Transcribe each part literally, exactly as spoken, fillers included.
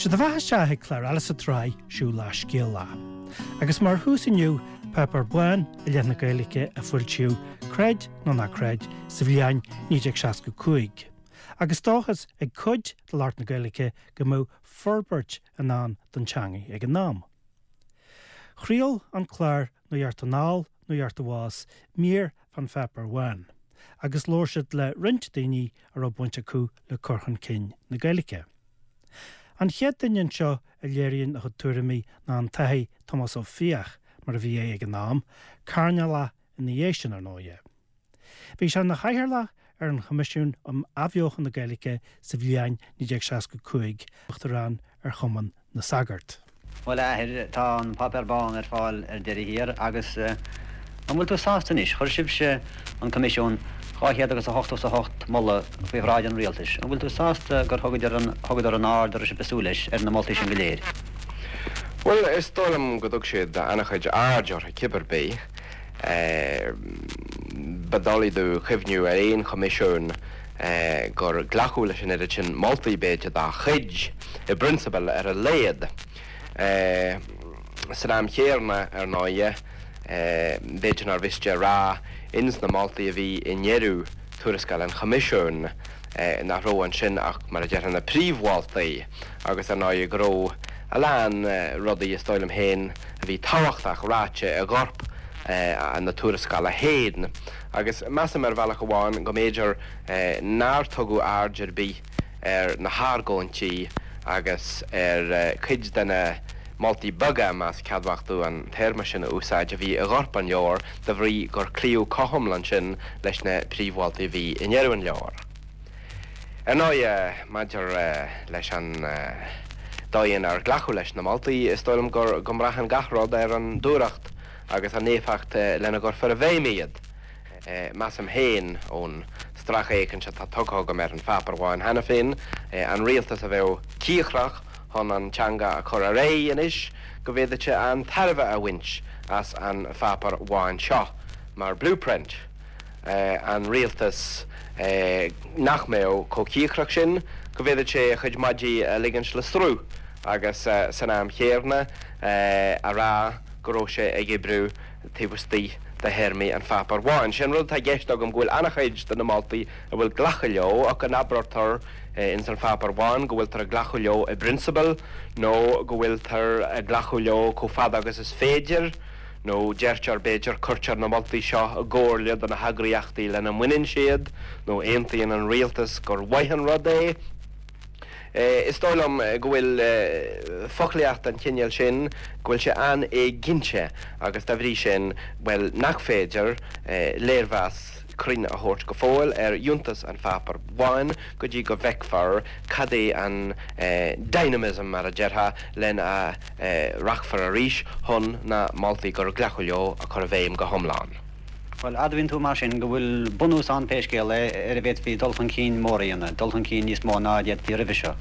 Sé do bheatha isteach ag clár eile sa tsraith Siúl Lá Scéal Lá. Agus mar thús inniu, Páipéar Bán i leith na Gaeilge a foilsíodh, creid nó ná creid, sa bhliain naoi déag seasca cúig. Agus dóchas ag cuid de lucht na Gaeilge go mbeadh forbairt i ndán don teanga ag an am. Chraol an clár Nuacht Anall, Nuacht Abhus mír fán Pháipéar Bán, agus labhair siad le roinnt daoine a raibh baint acu le cur chun cinn na Gaeilge. An chéad duine anseo a léiríonn a chuid tuairimí ná an tAthair Tomás Ó Fiaich, mar a bhí é ag an am, Cairdinéal ina dhiaidh sin ar ndóighe. Bhí sé ina chathaoirleach ar an Choimisiún um Athbheochan na Gaeilge sa bhliain naoi déag seasca cúig, Uachtarán ar Chumann na Sagart. Bhuel, a Athair, tá an Páipéar Bán ar fáil ar deireadh thiar agus an bhfuil tú sásta anois? Chuir sibhse, an Coimisiún, dhá chéad agus a hochtó is a hocht moladh faoi bhráid an Rialtais. An bhfuil tú sásta gur thugadar an, thugadar an aird a raibh sibh ag súil leis ar na moltaí sin go léir? Bhuel, is dóigh liom go dtug siad an-chuid aird orthu cibé ar bith. Ba doiligh domh cuimhniú ar aon choimisiún gur glacadh leis an oiread sin moltaí, b'fhéidir, dá chuid, i bprionsabal ar a laghad. San am chéanna, ar ndóighe, b'fhéidir nár mhiste a rá ins na moltaí a bhí i ndeireadh tuarascáil an Choimisiúin nach raibh ansin ach, mar a déarfá, na príomh-mholtaí agus, ar ndóighe, go raibh a lán rudaí, is dóigh liom féin, a bhí tábhachtach ráite i gcorp na tuarascála féin. Agus measaim ar bhealach amháin go mb'fhéidir nár tugadh aird ar bith ar na hargóintí agus ar chuid de na moltaí beaga, más ceadmhach domh an téarma sin a úsáid, a bhí i gcorp an leabhair, de bhrí gur cloíodh go hiomlán ansin leis na príomh-mholtaí a bhí i ndeireadh an leabhair. Ar ndóighe, maidir leis an dóigh inar glacadh leis na moltaí, is dóigh liom gur go mbraitheann gach rud ar an dúthracht agus an éifeacht lena gcuirfear i bhfeidhm iad. Measaim féin, ón stracfhéachaint atá tugtha agam ar an Pháipéar Bán cheana féin, an rialtas a bheadh cíocrach chun an teanga a chur ar aghaidh anois, go bhféadfadh sé an-tairbhe a bhaint as an Pháipéar Bán seo mar blueprint. An rialtas nach mbeadh chomh cíocrach sin, go bhféadfadh sé a chuid maidí a ligint le sruth agus san am chéanna a rá go raibh sé ag oibriú taobh istigh de théarmaí an Pháipéir Bháin. Sé an rud atá i gceist agam go bhfuil an-chuid de na moltaí a bhfuil glactha leo ach go n-abraítear ins an Pháipéar Bán go bhfuiltear ag glacadh leo i bprionsabal nó go bhfuiltear ag glacadh leo chomh fada agus is féidir nó deirtear b'fhéidir cuirtear na moltaí seo i gcomhairle do na heagraíochtaí lena mbaineann siad nó aontaíonn an rialtas gur mhaith an rud é. Is dóigh liom go bhfuil foclaíocht den chineál sin, go bhfuil sé an-éiginnte agus dá bhrí sin, bhuel, nach féidir léirmheas cruinn a thabhairt go fóill ar fhiúntas an Pháipéir Bháin go dtí go bhfeicfear cad é an dynamism, mar a déarfá, lena rachfar arís chun na moltaí gur glacadh leo a chur i bhfeidhm go hiomlán. Bhuel, admhaíonn tú mar sin go bhfuil bunús ann pé scéal é ar a bhféadfaí dul chun cinn mór a dhéanamh, dul chun cinn níos mó ná a d'fhéadfaí roimhe seo.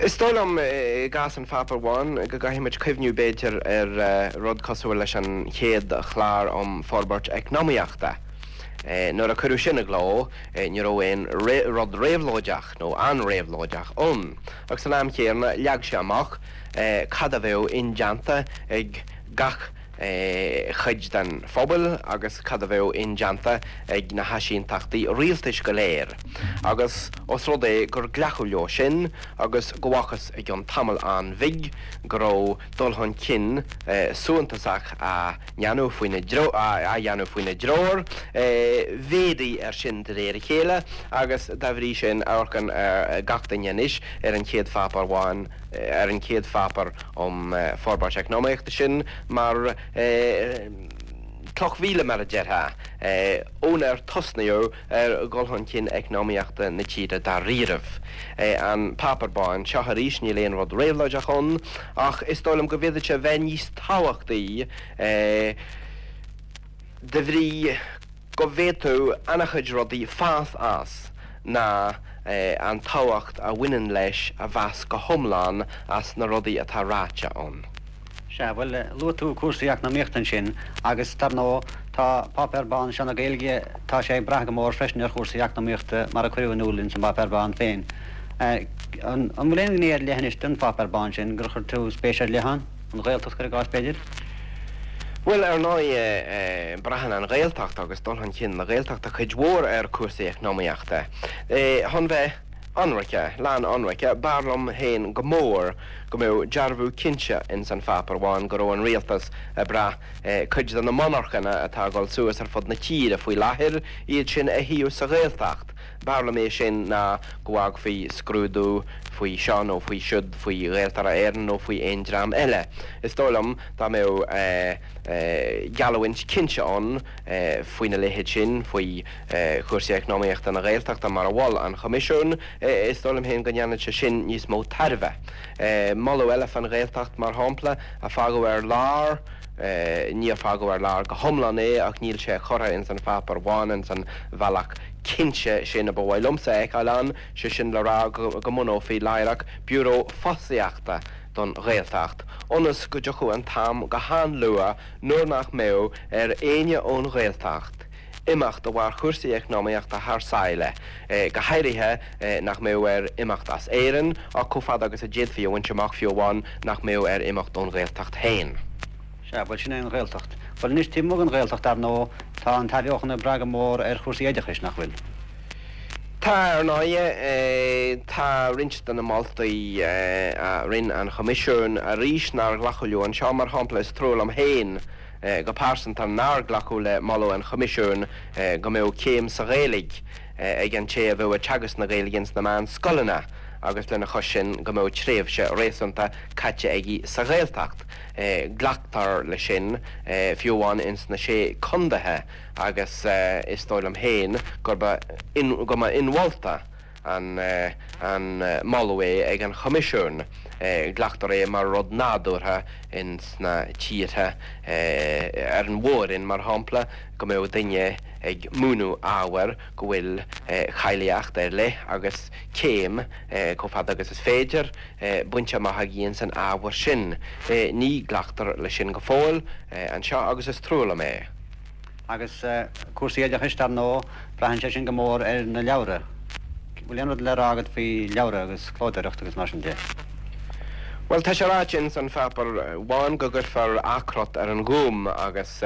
Is dóigh liom, i gcás an Pháipéir Bháin, go gcaithfidh muid cuimhniú, b'fhéidir, ar rud cosúil leis an chéad chlár um forbairt eacnamaíochta. Nuair a cuireadh sin i gcló, ní raibh aon rud réabhlóideach, nó an-réabhlóideach, ann. Ach san am chéanna, leag sé amach cad a bheadh indéanta ag gach chuid den phobal agus cad a bheadh indéanta ag na háisínteachtaí rialtais go léir. Agus os rud é gur glacadh leo sin agus go bhfacthas i gcionn tamaill an-bhig go raibh dul chun cinn suntasach á dhéanamh faoina á dhéanamh faoina dtreoir, mhéadaigh ar sin de réir a chéile agus dá bhrí sin amharcann gach duine anois ar an chéad Pháipéar Bán ar an chéad Pháipéar um Forbairt Eacnamaíochta sin mar chloch mhíle, mar a déarfá, ónar tosnaíodh ar dhul chun cinn eacnamaíochta na tíre dáiríribh. An Páipéar Bán seo arís, níl aon rud réabhlóideach ann, ach is dóigh liom go bhféadfadh sé bheith níos tábhachtaí de bhrí go bhféadfadh an-chuid rudaí fás as ná an tábhacht a bhaineann leis a mheas go hiomlán as na rudaí atá ráite ann. Sea, bhuel, luaigh tú cúrsaí eacnamaíochta ansin agus dar ndóigh tá Páipéar Bán seo na Gaeilge, tá sé ag brath go mór freisin ar chúrsaí eacnamaíochta mar a cuireadh in iúl ins an bPáipéar Bán féin. An bhfuil aon ghné ar leith anois den Pháipéar Bán sin gur chuir tú spéis ar leith ann? An Ghaeltacht, cuir i gcás, b'fhéidir? Bhuel, ar ndóigh, braitheann an Ghaeltacht agus dul chun cinn na Gaeltachta cuid mhór ar chúrsaí eacnamaíochta. Chun bheith ionraice, lán ionraice, b'fhearr liom féin go mór go mbeadh dearbhú cinnte ins an Pháipéar Bán go raibh an rialtas ag brath cuid de na monarchana atá ag dul suas ar fud na tíre faoi láthair, iad sin a shuíomh sa Ghaeltacht. B'fhearr liom é sin ná go bhfágfaí scrúdú faoi seo nó faoi siúd, faoi Ghaeltarra Éireann nó faoi aon dream eile. Is dóigh liom dá mbeadh geallúint cinnte ann faoina leithéid sin, faoi chúrsaí eacnamaíochta na Gaeltachta mar a mhol an Choimisiún, is dóigh liom féin go ndéanfadh sé sin níos mó tairbhe. Moladh eile fan Ghaeltacht, mar shampla, a fágadh ar lár, níor fágadh ar lár go hiomlán é ach níl sé curtha ins an Pháipéar Bán ins an bhealach cinnte sin a ba mhaith liomsa a fheiceáil ann, sé sin le rá go mbunófaí láithreach Biúró Fostaíochta don Ghaeltacht, ionas go dtiocfadh an t-am go han-luath nuair nach mbeadh ar éinne ón Ghaeltacht imeacht de bharr chúrsaí eacnamaíochta thar sáile, go háirithe nach mbeadh air imeacht as Éirinn, ach chomh fada agus a d'fhéadfaí a bhaint amach fiú amháin nach mbeadh air imeacht ón Ghaeltacht féin. Sea, bhuel sin é an Ghaeltacht. Bhuel anois taobh amuigh den Ghaeltacht dar ndóigh tá an t-athbheochan ag brath go mór ar chúrsaí oideachais, nach bhfuil? Tá, ar ndóigh. Tá roinnt de na moltaí a rinne an Choimisiún arís nár glacadh leo anseo. Mar shampla, is trua liom féin go pearsanta nár glacadh le moladh an Choimisiúin go mbeadh céim sa Ghaeilge ag an té a bheadh ag teagasc na Gaeilge ins na meánscoileanna agus lena chois sin go mbeadh tréimhse réasúnta caite aige sa Ghaeltacht. Glactar leis sin fiú amháin ins na Sé Contaetha agus is dóigh liom féin gurb go mba inmholta an an moladh é ag an Choimisiún. Glactar é mar rud nádúrtha ins na tíortha ar an mhór-roinn, mar shampla, go mbeadh duine ag múineadh ábhair go bhfuil cáilíocht ar leith agus céim, chomh fada agus is féidir, bainte amach aige ins an ábhar sin. Ní ghlactar leis sin go fóill anseo agus is trua liom é. Agus cúrsaí oideachais, dar ndóigh, braitheann sé sin go mór ar na leabhra. Bhfuil aon rud le rá agat faoi leabhra agus clódóireacht agus mar sin de? Bhuel, tá sé ráite ins an Pháipéar Bán go gcuirfear athchrot ar an Ghúm agus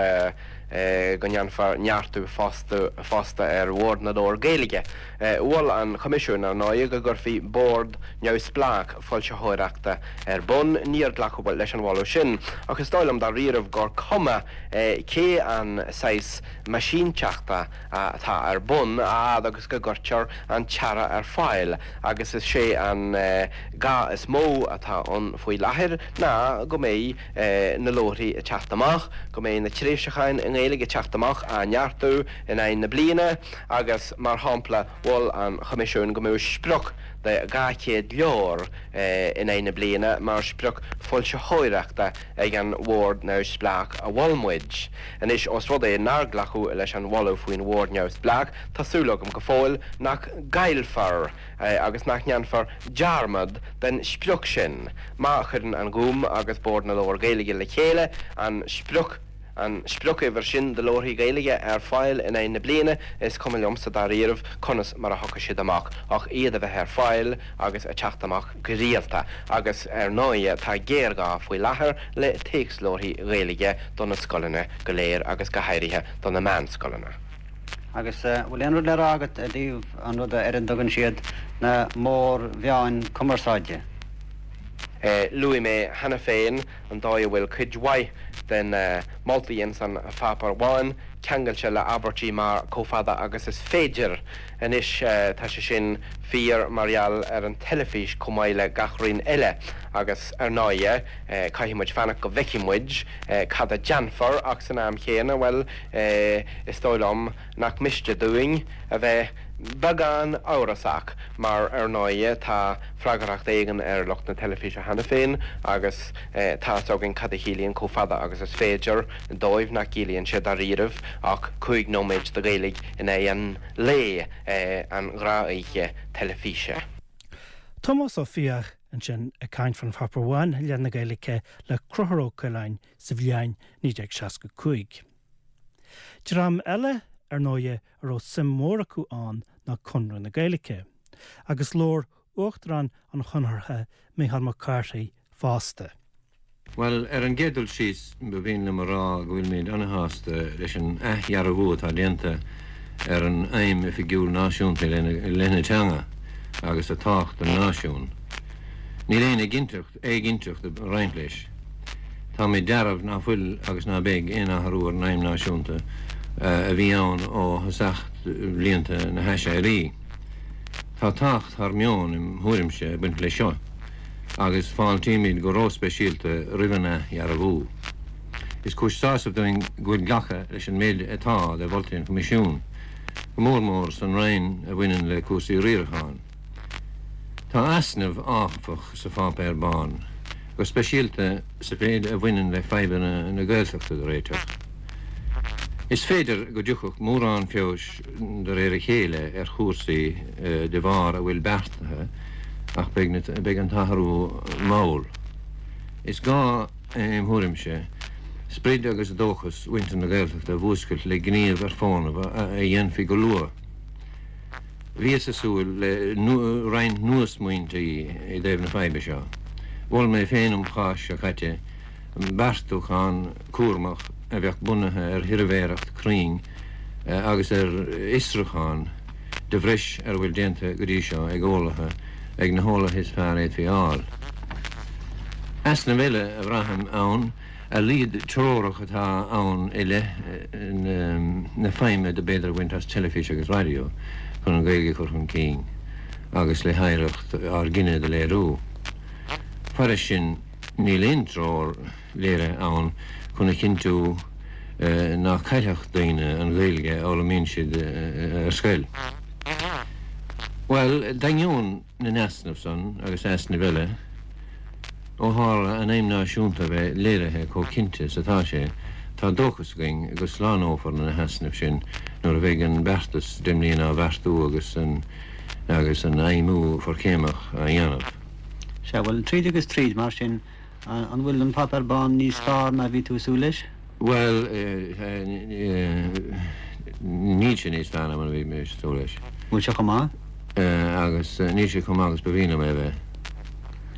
go ndéanfar neartú fosta ar Bhord na Leabhar Gaeilge. Mhol an Choimisiún, ar ndóigh, go gcuirfí bord neamhspleách foilsitheoireachta ar bun. Níor glacadh leis an mholadh sin, ach is dóigh liom dáiríribh gur cuma cé an saghas meaisínteachta atá ar bun, a fhad agus go gcuirtear an t-earra ar fáil, agus is é an gá is mó atá ann faoi láthair ná go mbeidh na leabharthaí ag teacht amach, go mbeidh na tréimhseacháin i nGaeilge ag teacht amach á neartú in aghaidh na bliana agus, mar shampla, mhol an Choimisiún go mbeadh sprioc de dhá chéad leabhar in aghaidh na bliana mar sprioc foilsitheoireachta ag an Bhord Neamhspleách a mhol muid. Anois, ós rud é nár glacadh leis an mholadh faoin Bhord Neamhspleách, tá súil agam go fóill nach gcaillfear agus nach ndéanfar dearmad den sprioc sin. Má chuireann an Gúm agus Bord na Leabhar Gaeilge le chéile an sprioc an spriocuimhir sin de leabharthaí Gaeilge ar fáil in aghaidh na bliana, is cuma liomsa dáiríribh conas mar a thiocfaidh siad amach, ach iad a bheith ar fáil agus ag teacht amach go rialta. Agus ar ndóigh tá géarghá faoi láthair le téacsleabharthaí Gaeilge do na scoileanna go léir agus go háirithe do na meánscoileanna. Agus bhfuil aon rud le rá agat i dtaobh an ruda ar a dtugann siad na mórmheáin cumarsáide? Luaigh mé cheana féin an dóigh a bhfuil cuid mhaith de na moltaí ins an Pháipéar Bán ceangailte le abairtí mar 'chomh fada agus is féidir'. Anois tá sé sin fíor mar gheall ar an teilifís chomh maith le gach roinn eile agus ar ndóighe caithfidh muid fanacht go bhfeicfidh muid cad a déanfar ach san am chéanna, bhuel, is dóigh liom nach miste dúinn a bheith Beagán amhrasach, mar ar ndóighe tá freagracht éigin ar lucht na teilifíse cheana féin agus tá fhios againn cad a chiallaíonn chomh fada agus is féidir dóibh, nach gciallaíonn sé dáiríribh ach cúig nóiméid de Ghaeilge in aghaidh an lae, an ghnáthoíche teilifíse. Tomás Ó Fiaich ansin ag caint fan Pháipéar Bhán i leith na Gaeilge le Conchúr Ó Coileáin sa bhliain naoi déag seasca cúig. Dream eile, ar ndóighe, a raibh suim mhór acu ann ná Conradh na Gaeilge, agus labhair Uachtarán an Chonartha, Micheál Mac Cárthaigh, fosta. Bhuel, ar an gcéad dul síos, ba mhian liom a rá go bhfuilimid ana-shásta leis an athdhearbhú atá déanta ar an fheidhm oifigiúil náisiúnta i leith na teanga agus a tábhacht don náisiún. Níl aon éiginnteacht ag roinnt leis. Táimid dearbh ná fuil agus ná beidh aon athrú ar an fheidhm náisiúnta a bhí ann ó thosach bhlianta na hAiséirí. Tá tábhacht thar meon im thuairimse ag baint leis seo agus fáiltímid go róspeisialta roimh an athdhearbhú. Is cúis sásaimh dúinn go bhfuil glactha leis an méid atá de mholtaí an Choimisiúin, go mór mór san roinn a bhaineann le cúrsaí riaracháin. Tá easnamh, áfach, sa Pháipéar Bán, go speisialta sa mhéid a bhaineann le fadhbanna na Gaeltachta do réiteach. Is féidir go dtiocfadh mórán feabhais de réir a chéile ar chúrsaí de bharr a bhfuil beartaithe ach beidh an t-athrú mall. Is gá, im thuairimse, sprid agus dóchas mhuintir na Gaeltachta a mhúscailt le gníomh ar fónamh a dhéanfaí go luath. Bhíothas ag súil le roinnt nua-smaointí i dtaobh na faidhbe seo. Mhol mé féin um Cháisc seo caite beartúchán cúramach a bheadh bunaithe ar shuirbhéireacht cruinn agus ar fhiosrúchán de bhreis ar a bhfuil déanta go dtí seo ag eolaithe, ag na heolaithe is fearr a fhéadfaí a fháil. Easnamh eile a bhraithim ann a laghad treorach atá ann i leith na feidhme do b'fhéidir a bhaint as teilifís agus raidió chun an Ghaeilge a chur chun cinn agus le hoidhreacht ár gcine do léiriú. Fairis sin, níl aon treoir léirithe ann chun a chinntiú nach caillfeadh daoine an Ghaeilge a fhoghlaimíonn siad ar scoil. Bhuel, d'ainneoin na n-easnamh san agus easnaimh eile, Ó tharla an aidhm náisiúnta a bheith léirithe chomh cinnte is atá sé, tá dóchas againn go slánófar na heasnaimh sin nuair a bheidh an beartas deich mbliana á bheartú agus an agus an fheidhmiú forchéimeach á dhéanamh. Sea, bhuel, tríd agus tríd, mar sin, an bhfuil an Páipéar Bán níos fearr ná a bhí tú ag súil leis? Bhuel, níl sé níos fearr ná mar a bhí mé ag súil leis. Bhfuil sé chomh maith? Agus níl sé chomh maith agus ba mhian liom é a bheith.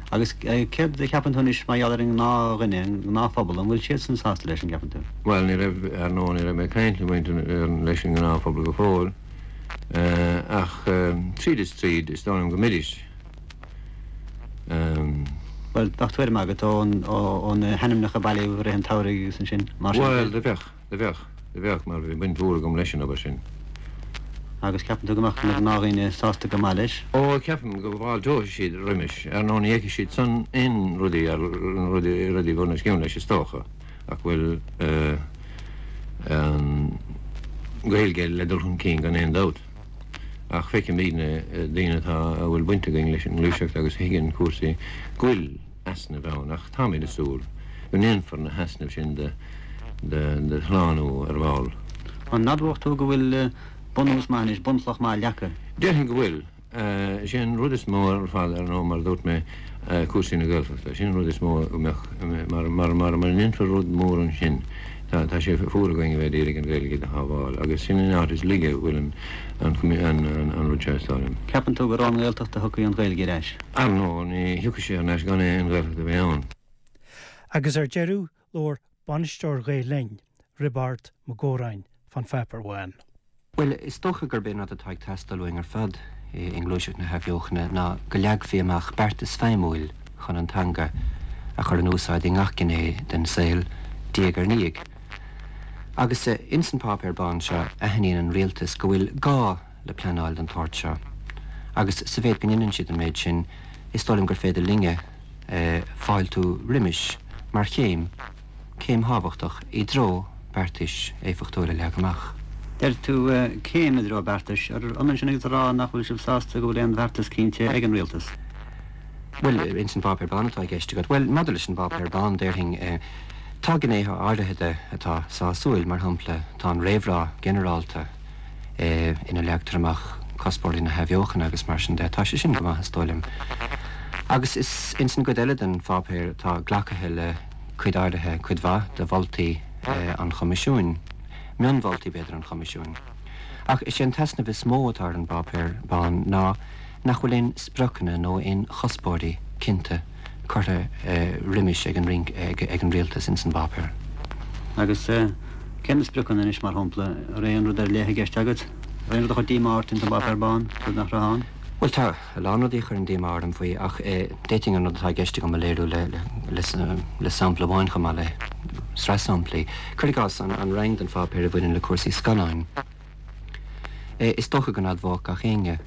Agus céard a cheapann tú anois mar gheall ar an ngnáthdhuine, an gnáthphobal, an bhfuil siadsan sásta leis, an gceapann tú? Bhuel, ní raibh, ar ndóigh, ní raibh mé ag caint le muintir, leis an ngnáthphobal go fóill, ach tríd is tríd, is dóigh liom go mbeidís. Bhuel, bheadh tuairim agat ó na hainmneacha a bailíodh i rith an tsamhraidh agus ansin, mar sin. Bhuel, do bheadh, do bheadh, do bheadh, mar bhí baint mhór agam leis an obair sin. Agus ceapann tú go mbeadh na gnáthdhaoine sásta go maith leis? Ó, ceapaim go bhfáilteoidh siad roimis. Ar ndóigh, ní fheicfidh siad san aon rudaí ar rudaí rudaí bunoscionn leis is dócha, ach bhfuil an Ghaeilge le dul chun cinn gan aon dabht. Ach feicimidne, daoine atá, a bhfuil baint againn leis an ngluaiseacht agus a thuigeann cúrsaí, go bhfuil easnaimh ann ach táimid ag súil go ndéanfar na heasnaimh sin de de shlánú ar ball. An admhódh tú go bhfuil bunús maith anois, bunchloch maith leagtha? Déarfainn go bhfuil. Is é an rud is mó ar fad, ar ndóigh, mar a dúirt mé, cúrsaí na Gaeltachta. Sin an rud is mó a mbeadh, mar, mar, mar, mura ndéanfar rud mór ansin, tá, tá sé fuar againn a bheith ag iarraidh an Ghaeilge do shábháil agus sin an áit is laige a bhfuil an, an, an, an rud seo, is dóigh liom. Ceapann tú gur ón nGaeltacht a thiocfaidh an Ghaeilge ar ais? Ar ndóigh, ní thiocfaidh sé thar n-ais gan aon Ghaeltacht a bheith ann. Agus ar deireadh, labhair bainisteoir Ghael Linn, Roibeárd Mac Góráin, fán Pháipéar Bhán. Bhuel, is dócha gurb é an rud atá ag teastáil uainn ar fad i ngluaiseacht na hathbheochana ná go leagfaí amach beartas feidhmiúil chun an teanga a chur in úsáid i ngach gné den saol, diaidh ar ndiaidh. Agus ins an Páipéar Bán seo aithníonn an rialtas go bhfuil gá le pleanáil den tsórt seo. Agus sa mhéid go ndéanann siad an méid sin, is dóigh liom gur féidir linne fáiltiú roimis mar chéim, céim thábhachtach i dtreo beartais éifeachtúil a leagadh amach. Deir tú céim i dtreo beartais, ar ionann sin agus a rá nach bhfuil sibh sásta go bhfuil aon bheartas cinnte ag an rialtas? Bhuel, ins an bPáipéar Bán atá i gceist agat. Bhuel, maidir leis an bPáipéar Bán, déarfainn, tá gnéithe áirithe de atá sásúil, mar shampla, tá an réamhrá ginearálta ina leagtar amach cuspóirí na hathbheochana agus mar sin de, tá sé sin go maith, is dóigh liom. Agus is ins an gcuid eile den pháipéar tá glactha le cuid áirithe, cuid mhaith de mholtaí an Choimisiúin. Mionmholtaí, b'fhéidir, an Choimisiúin. Ach is é an t-easnamh is mó atá ar an bPáipéar Bán ná nach bhfuil aon spriocanna nó aon chuspóirí cinnte curtha roimis ag an ag an rialtas ins an bpáipéar. Agus cé na spriocanna anois, mar shampla? An raibh aon rud ar leith i gceist agat? Aon rud a chuir díomá ort ins an bPáipéar Bán, rud nach raibh ann? Bhuel, tá a lán rudaí a chuireann díomá orm faoi, ach d'fhéadfainn an rud atá i gceist agam a léiriú le sampla amháin chomh maith le sraith samplaí. Cuir i gcás, an roinn den pháipéar a bhaineann le cúrsaí scannáin. Is dócha go n-admhódh gach éinne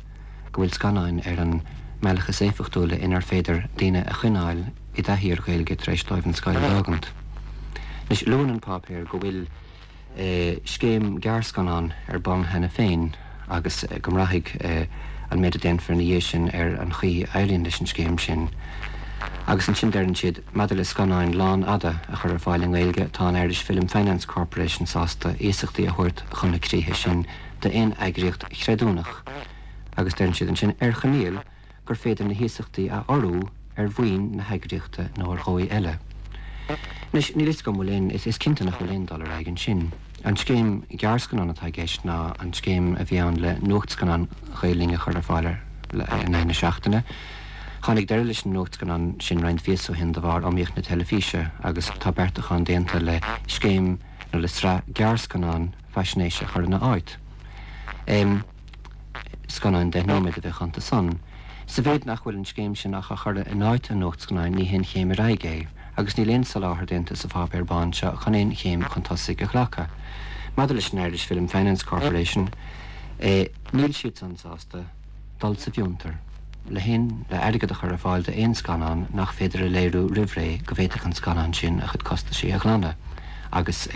go bhfuil scannáin ar an mbealach is éifeachtúla inar féidir daoine a choinneáil i dtaithí ar Ghaeilge tar éis dóibh an scoil a fhágaint. Anois, luann an páipéar go bhfuil scéim gearrscannán ar bun cheana féin agus go mbraithfidh an méid a déanfar ina dhiaidh sin ar an chaoi a éiríonn leis an scéim sin. Agus ansin deireann siad, maidir le scannáin lánfhada a chur ar fáil i nGaeilge, tá an Irish Film Finance Corporation sásta iasachtaí a thabhairt chun na críche sin d'aon eagraíocht chreidiúnach agus deireann siad ansin, ar choinníoll gur féidir na hiasachtaí a urrú ar mhaoin na heagraíochta nó ar dhóigh eile. Anois, níl fhios agam bhfuil aon, is cinnte nach bhfuil aon dul ar aghaidh ansin. An scéim gearrscannán atá i gceist ná an scéim a bhí ann le nuachtscannán Ghael Linn a chur ar fáil in aghaidh na seachtaine. Tháinig deireadh leis an nuachtscannán sin roinnt mhíosa ó shin de bharr iomaíocht na teilifíse agus tá beartachán déanta le scéim nó le sraith gearrscannán faisnéise a chur ina áit. Scannáin deich nóiméad a bheadh iontu san. Sa mhéid nach bhfuil an scéim sin ach á chur in áit an nuachtscannáin ní haon chéim ar aghaidh é agus níl aon soláthar déanta sa Pháipéar Bán seo chun aon chéim chun tosaigh a ghlacadh. Maidir leis an Irish Film Finance Corporation, níl siadsan sásta dul sa bhfiontar le haon le airgead a chur ar fáil d'aon scannán nach féidir a léiriú roimh ré go bhféadfadh an scannán sin a chuid costaisí a ghlanadh agus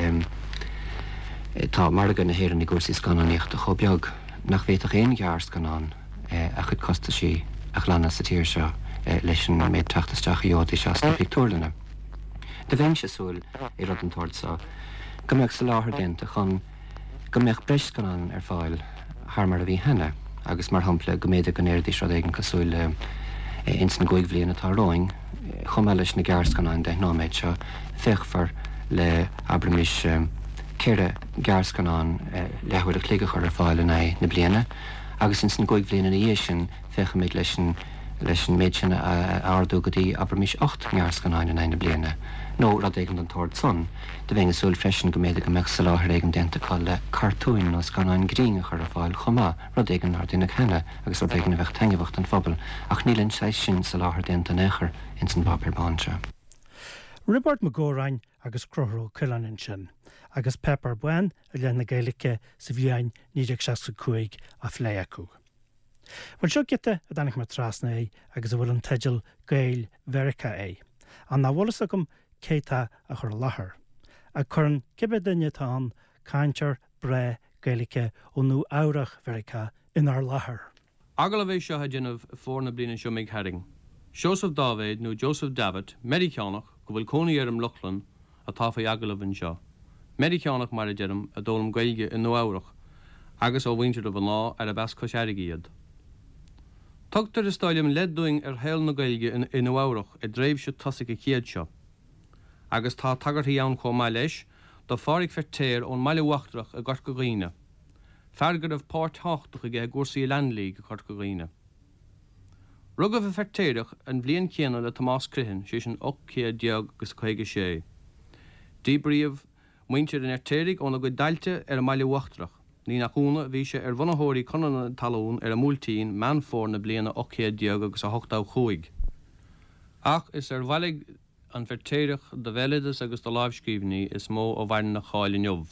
tá margadh na hÉireann i gcúrsaí scannánaíochta chomh beag nach bhféadfadh aon ghearrscannán a chuid costaisí a ghlanadh sa tír seo leis an méid teacht isteach a gheobhaidís as na pictiúrlanna. Do bheinnse ag súil i rud den tsórt seo go mbeadh soláthar déanta chun go mbeadh breis scannán ar fáil thar mar a bhí cheana agus, mar shampla, go mb'fhéidir go ndéarfaidís rud éigin cosúil le ins an gcúig bhliain atá romhainn, chomh maith leis na gearrscannáin deich nóiméad seo, féachfar le, abraimis, ceithre ghearrscannán leathuair a chloig a chur ar fáil in aghaidh na bliana agus ins an gcúig bhliain ina dhiaidh sin féachfaimid leis an leis an méid sin a ardú go dtí, abraimis, ocht ngearrscannáin in aghaidh na bliana, nó rud éigin den tsórt san. Do bheinn ag súil freisin go mb'fhéidir go mbeadh soláthar éigin déanta acu le cartúin nó scannáin grinn a chur ar fáil chomh maith, rud éigin nár deineadh cheana agus rud éigin a bheadh taitneamhach don phobal, ach níl an saghas sin soláthair déanta in aon chor ins an bPáipéar Bán seo. Roibeárd Mac Góráin agus Conchúr Ó Coileáin ansin, agus Páipéar Bán i leith na Gaeilge sa bhliain naoi déag seasca cúig á phlé acu. Bhuel, seo giota a dtáinig mé trasna air agus a bhfuil an teideal Gaeil Mheiriceá air, ach nach bhfuil fhios agam cé tá á chur i láthair. Ach cuireann cibé duine atá ann cainteoir breá Gaeilge ó Nua Eabhrach Mheiriceá inár láthair. Agallamh é seo a deineadh i bhfómhar na bliana seo imigh tharainn. Seosamh Dáibhéid nó Joseph Davitt, Meiriceánach go bhfuil cónaí air i mBrooklyn, atá faoi agallamh anseo. Meiriceánach, mar a deirim, a d'fhoghlaim Gaeilge i Nua Eabhrach agus ó mhuintir a mhná arb as Cois Fharraige iad. Tugtar, is dóigh liom, leid dúinn ar shaol na Gaeilge i Nua Eabhrach i dtréimhse tosaigh an chéid seo. Agus tá tagairtí ann chomh maith leis do Phádhraic Feirtéar ón mBaile Uachtarach i gCorca Dhuibhne, fear go raibh páirt thábhachtach aige i gcúrsaí Land League i gCorca Dhuibhne. Rugadh an Feirtéarach an bhliain chéanna le Tomás Criomhthain, sé sin ocht céad déag agus caoga sé. Díbríodh muintir an Fheirtéaraigh óna gcuid dtailte ar an mBaile Uachtarach. Ní nach ionadh, bhí sé ar bhunaitheoirí Conradh na Talún ar an mBuailtín, Meán Fómhair na bliana ocht céad déag agus a hochtó chúig. Ach is ar bhailigh an Feirtéarach de bhéaloideas agus de lámhscríbhinní is mó a mhaireann a cháil inniu.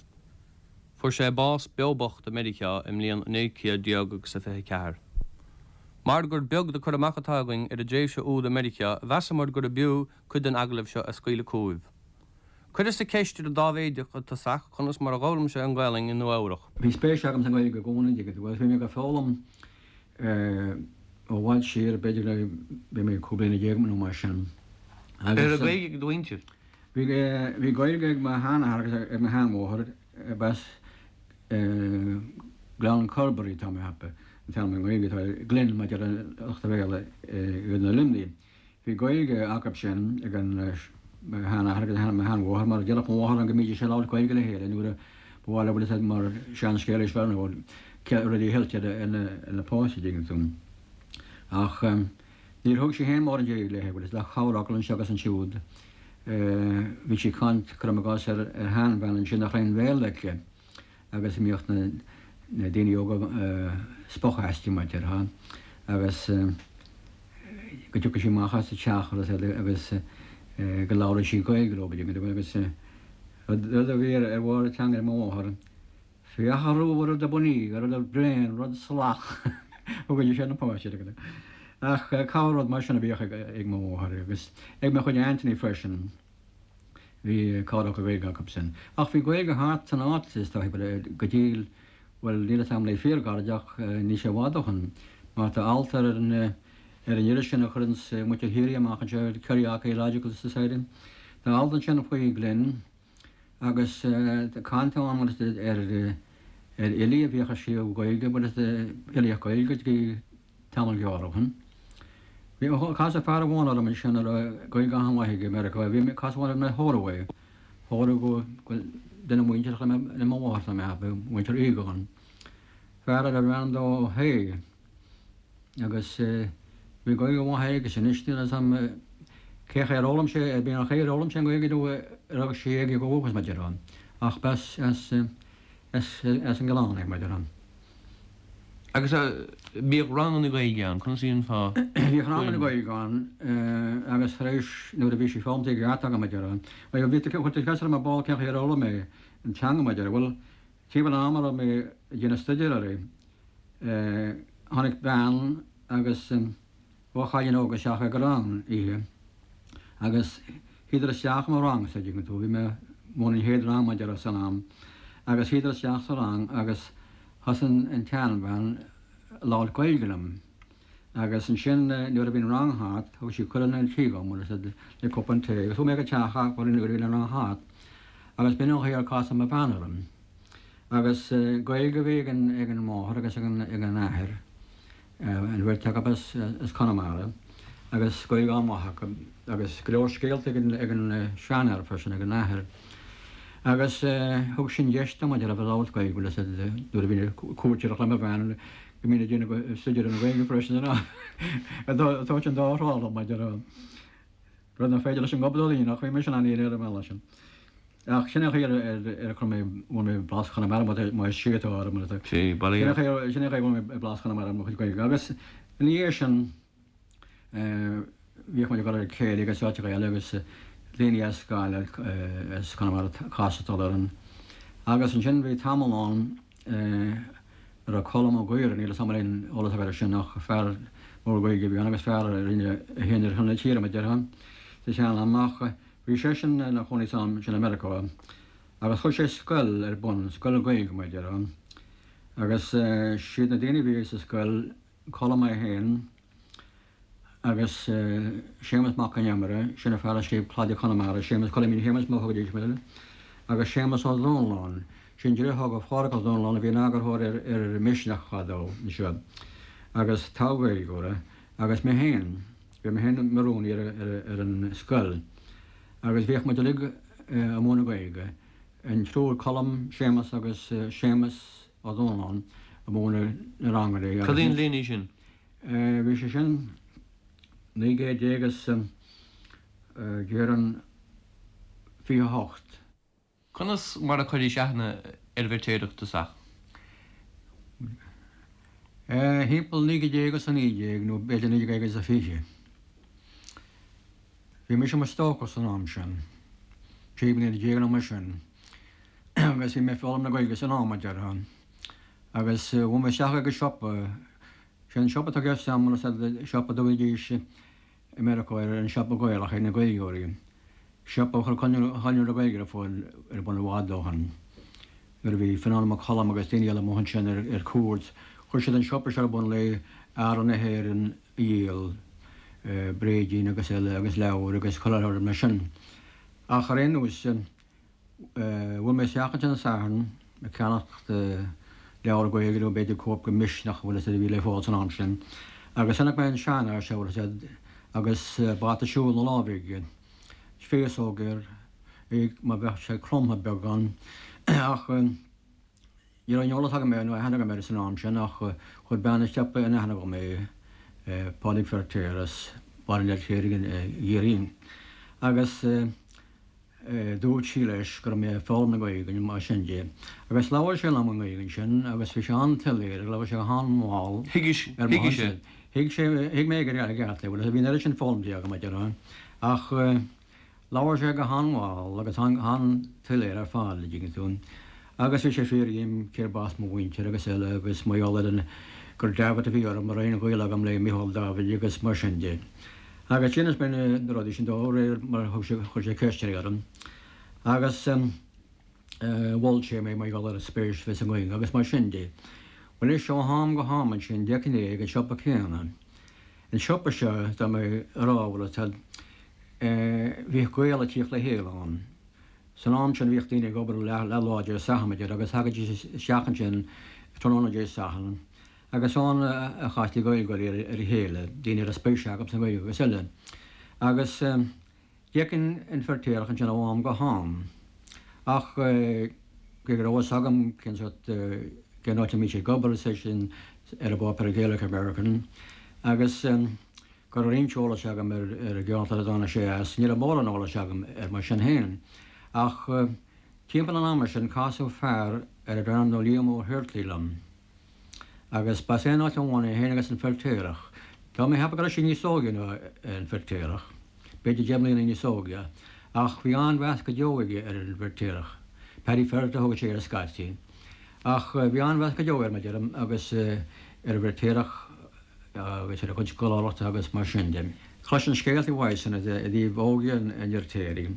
Fuair sé bás beo bocht i Meiriceá i mbliain naoi céad déag agus a fiche a ceathair. Mar gur beag de cur amach atá againn ar an dtréimhse úd i Meiriceá, mheasamar gurb fhiú cuid den agallamh seo a scaoileadh chugaibh. Chuireas ceist ar an Dáibhéideach i dtosach conas mar a d'fhoghlaim sé an Ghaelainn i Nua-Eabhrac. Bhí spéis agam sa nGaeilge i gcónaí agus bhí mé ag foghlaim ó bhfad siar, b'fhéidir le bhí mé cúig bliana déag nó mar sin. An raibh Gaeilge ag do mhuintir? Bhí bhí Gaeilge ag mo sheanathair agus ag mo sheanmháthair b'as Gleann Corbury tá mé a cheapadh, an t-ainm i nGaeilge atá Glynn mar a deir lucht an Bhéarla i gContae Luimnigh. Bhí Gaeilge acu sin ag an mo sheanathair agus mo sheanmháthair mar déarfadh mo mháthair go mbídís ag labhairt Gaeilge le chéile nuair a ba mhaith leo bhfuil a fhios agat mar seanscéal is fearr nó rudaí a thuilt ar na páistí an dtuigeann tú. Ach níor thug sí féin mórán Gaeilge léi bhfuil a fhios agat ach corrfhocal anseo agus ansiúd. Bhí sí ag caint cuirim i gcás ar sheanbhean ansin nach raibh aon Bhéarla aici agus bhíodh na daoine óga spochadh aisti mar a déarfá agus go dtiocfadh sí amach as an teach agus go labhradh sí Gaeilge leo agus rud a bhí ar bharr a teanga ag mo mháthair, féach a rua rud a bunaí, rud a bréan, rud salach thugaidís ar na páistí. Ach corr rud mar sin a bhíodh ag mo mháthair agus ag mo chuid aintíní freisin. Bhí corrfhocal Gaeilge acu sin. Ach bhí Gaeilge thart san áit is dóigh go dtí bhuel níl a fhios agam le fíorghairid ach níl sé i bhfad ó shin mar tá alt ar an ar an iris sin a chuireann muintir Chiarraí amach anseo, Kerry Archaeological Society. Tá alt ansin faoi Glynn agus caint ann ar ar fhilí a bhíodh ag scríobh Gaeilge, bhuel filíocht Gaeilge go dtí tamall gearr ó shin. Bhí casadh fear amháin orm ansin a raibh Gaeilge an-mhaith aige i Meiriceá, bhí mé casadh orm le Holloway, Holloway go duine muinteartha le mo mháthair tá mé a cheapadh, muintir Egan. Fear a raibh ainm dó Ó hAodha agus bhí Gaeilge mhaith aige anois níl a fhios agam cé chaoi ar fhoghlaim sé, bhí an chaoi ar fhoghlaim sé an Ghaeilge nó ar fhág sí aige go dúchas mar a déarfá ach b'as as as as an gCoileán é mar a déarfá. Agus bhíodh ranganna Gaeilge ann, conas a dhéanfá? Bhíodh ranganna Gaeilge ann agus tar éis nuair a bhí sí foghlamtha i gceart agam mar a déarfá. Bhuel bhí chuir tú ceist orm ar ball cén chaoi ar fhoghlaim mé an teanga mar a déarfá. Bhuel timpeall an ama a raibh mé ag déanamh staidéir uirthi tháinig bean agus dhá chailín óga isteach ag an rang oíche agus shuíodar isteach i mo rang sa dtuigeann tú, bhí mé ag múineadh an chéad rang mar a déarfá san am agus shuíodar isteach sa rang agus thosaigh an tseanbhean ag labhairt Gaeilge liom agus ansin nuair a bhí an rang thart thug sí cuireadh chun an tí dhom agus le cupán tae agus chuaigh mé go teach a nuair a bhí an rang thart agus b'in an chaoi ar casadh mo bhean orm. Agus Gaeilge a bhí ag an ag an máthair agus ag an ag an athair an bheirt acu as as Conamara agus Gaeilge an-mhaith acu agus go leor scéalta ag an ag an seanathair freisin ag an athair. Agus thug sin deis dom maidir le bheith ag labhairt Gaeilge bhfuil a fhios agat nuair a bhí cuairteoireacht le mo bhean go mbínn ag déanamh staidéar ar an Ghaeilge freisin ag tabhairt an dá thrá liom maidir rud nach féidir leis an gobadóir a dhéanamh ach bhí mise in ann é ar an mbealach sin. Ach sin é an chaoi ar ar chuir mé bhain mé blas Chonamara má is sí atá orm mar atá. Sí, bail Sin é an chaoi sin é an chaoi a bhain mé blas Chonamara ar mo chuid Gaeilge agus ina dhiaidh sin bhíodh muid ag dul ar céilí agus áiteacha eile agus daoine as Gaillimh as Conamara ag castáil orainn. Agus ansin bhí tamall ann a raibh Colm Ó Gaora, níl a fhios agam an aon eolas agat air sin ach fear mór Gaeilge a bhí ann agus fear a rinne é féin ar shon na tíre mar a déarfá sa sean-am ach bhí seisean ina chónaí san am sin i Meiriceá agus chuir sé scoil ar bun, scoil Ghaeilge mar a déarfá. Agus siad na daoine a bhí sa scoil, Colm é féin agus Séamus Mac Con Iomaire, sin an fear a scríobh Cladaí Chonamara, Séamus Coilimín Shéamuis mar a thugaidís air, agus Séamus Ó Dónalláin, sin deartháir do Phádhraic Ó Dónalláin a bhí ina eagarthóir ar ar Misneach fadó anseo agus togha Gaeilgeoir é, agus mé féin, bhí mé féin mar rúnaí ar ar an scoil agus bhíodh muid uilig ag múineadh Gaeilge, an triúr, Colm, Séamus agus Séamus Ó Dónalláin ag múineadh na ranganna Cad é an bhliain í sin? Bhí sé sin naoi gcéad déag is déarfainn fiche a hocht. Conas mar a chuiris aithne ar Bhirtéadach i dtosach? Thimpeall naoi gcéad déag is a naoi déag nó b'fhéidir naoi déag agus a fiche. Bhí mise i mo stócach san am sin, trí bliana déag nó mar sin, agus bhí mé ag foghlaim na Gaeilge san am, a déarfá. Agus chuaigh mé isteach ag an siopa, sé an siopa atá i gceist agam, siopa a dtugaidís i Meiriceá ar an siopa Gaelach ag na Gaeilgeoirí. Siopa a chuir Conradh na Gaeilge ar fáil ar bun i bhfad ó shin. Nuair a bhí Fionán Mac Coluim agus daoine eile amuigh ansin ar cuairt, chuir siad an siopa seo ar bun le earra na hÉireann a dhíol, bréidín agus eile agus leabhair agus chuile rud mar sin. Ach ar aon nós, bhuail mé isteach ansin an Satharn ag ceannacht leabhar Gaeilge nó b'fhéidir cóip de Misneach, bhfuil a fhios agat, a bhí le fáil san am sin. Agus chonaic mé an seanfhear seo, bhfuil a fhios agat, agus bata siúil ina láimh aige, féasóg air, é mar bheadh sé cromtha beagán. Ach ní raibh aon eolas agam air nó aithne agam air san am sin ach chuir bean an tsiopa in aithne dhom é, Pádraig Feirtéar as Baile an Fheirtéaraigh i gCiarraí. Agus dúirt sí leis go raibh mé ag foghlaim na Gaeilge mar sin de. Agus labhair sé liom i nGaeilge ansin agus bhí sé an-tsoiléir, labhair sé go han-mhall. Thuig sé? Thuig sé, thuig mé i gceart é, bhuel bhí an oiread sin foghlamtha agam a déarfá. Ach labhair sé go han-mhall agus an-tsoiléir ar fad, a dtuigeann tú. Agus bhí sé ag fiafraí díom cérbh as mo mhuintir agus eile agus mar gheall ar an gur Davitt a bhí orm, an raibh aon ghaol agam le Micheál Davitt agus mar sin de. Agus d'inis mé na rudaí sin dó réir mar a thug sé, chuir sé ceisteanna orm. Agus mhol sé mé mar gheall ar an spéis a bheith sa nGaeilge agus mar sin de. Bhuel anois ó am go ham ansin d'fheicfinn é ag an siopa céanna. An siopa seo, tá mé a rá, bhfuil a fhios agat, bhíodh Gaeil ag tíocht le chéile ann. San am sin bhíodh daoine ag obair leath lá Dé Sathairn, a deir, agus thagaidís isteach ansin tráthnóna Dé Sathairn agus ann a chastaí Gaeilgeoirí ar a chéile, daoine a raibh spéis acu sa Ghaeilge agus eile. Agus d'fheicfinn an Feirtéarach ansin ó am go ham. Ach cé go raibh fhios agam cén sórt, cén áit a mbíodh sé ag obair, is é sin ar an bpáipéar Gaelic American, agus go raibh roinnt eolais agam ar an gceantar a dtáinig sé as, ní raibh mórán eolais agam air mar sin féin. Ach timpeall an ama sin casadh fear arbh ainm dó Liam Ó hIartlaí liom. Agus b'as aon áit amháin é féin agus an Feirtéarach. Tá mé ag ceapadh go raibh sé níos óige ná an Feirtéarach, b'fhéidir deich mbliana níos óige, ach bhí an-mheas go deo aige ar an bhFeirtéarach. Paddy Ferret a thugadh sé air scaití. Ach bhí an-mheas go deo air, mar a deirim, agus ar an bhFeirtéarach agus ar a chuid scoláireachta agus mar sin de. Chloisinn scéalta uaidhsean i dtaobh óige an Fheirtéaraigh,